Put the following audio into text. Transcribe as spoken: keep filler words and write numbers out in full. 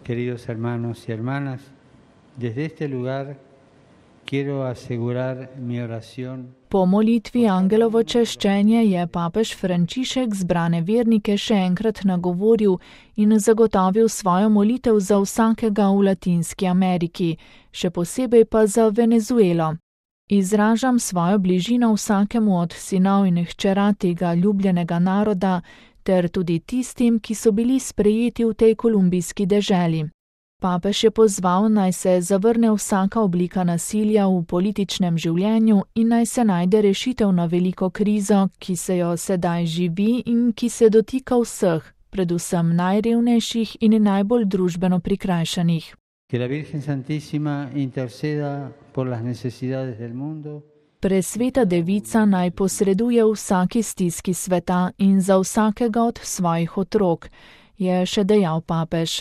Queridos hermanos y hermanas, desde este lugar quiero asegurar mi oración. Po molitvi Angelovo češčenje je papež Frančišek zbrane vernike še enkrat nagovoril in zagotovil svojo molitev za vsakega v Latinski Ameriki, še posebej pa za Venezuelo. Izražam svojo bližino vsakemu od sinov in hčera tega ljubljenega naroda, ter tudi tistim, ki so bili sprejeti v tej kolumbijski deželi. Papež je pozval, naj se zavrne vsaka oblika nasilja v političnem življenju in naj se najde rešitev na veliko krizo, ki se jo sedaj živi in ki se dotika vseh, predvsem najrevnejših in najbolj družbeno prikrajšanih. Que la Virgen Santísima interceda por las necesidades del mundo. Presveta devica naj posreduje vsaki stiski sveta in za vsakega od svojih otrok, je še dejal papež.